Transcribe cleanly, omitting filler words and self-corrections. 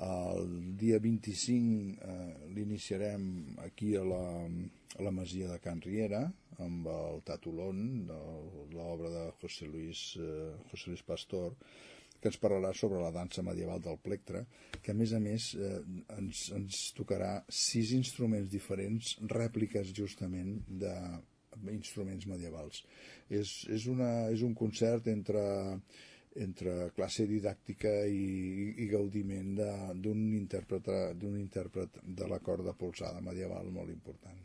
El dia 25 l'iniciarem aquí a la masia de Can Riera amb el Tatulón, l'obra de José Luis Pastor, que ens parlarà sobre la dansa medieval del plectre, que a més ens tocarà 6 instruments diferents, rèpliques justament d'instruments medievals. És un concert entre classe didàctica i gaudiment d'un intèrpret de la corda polsada medieval molt important.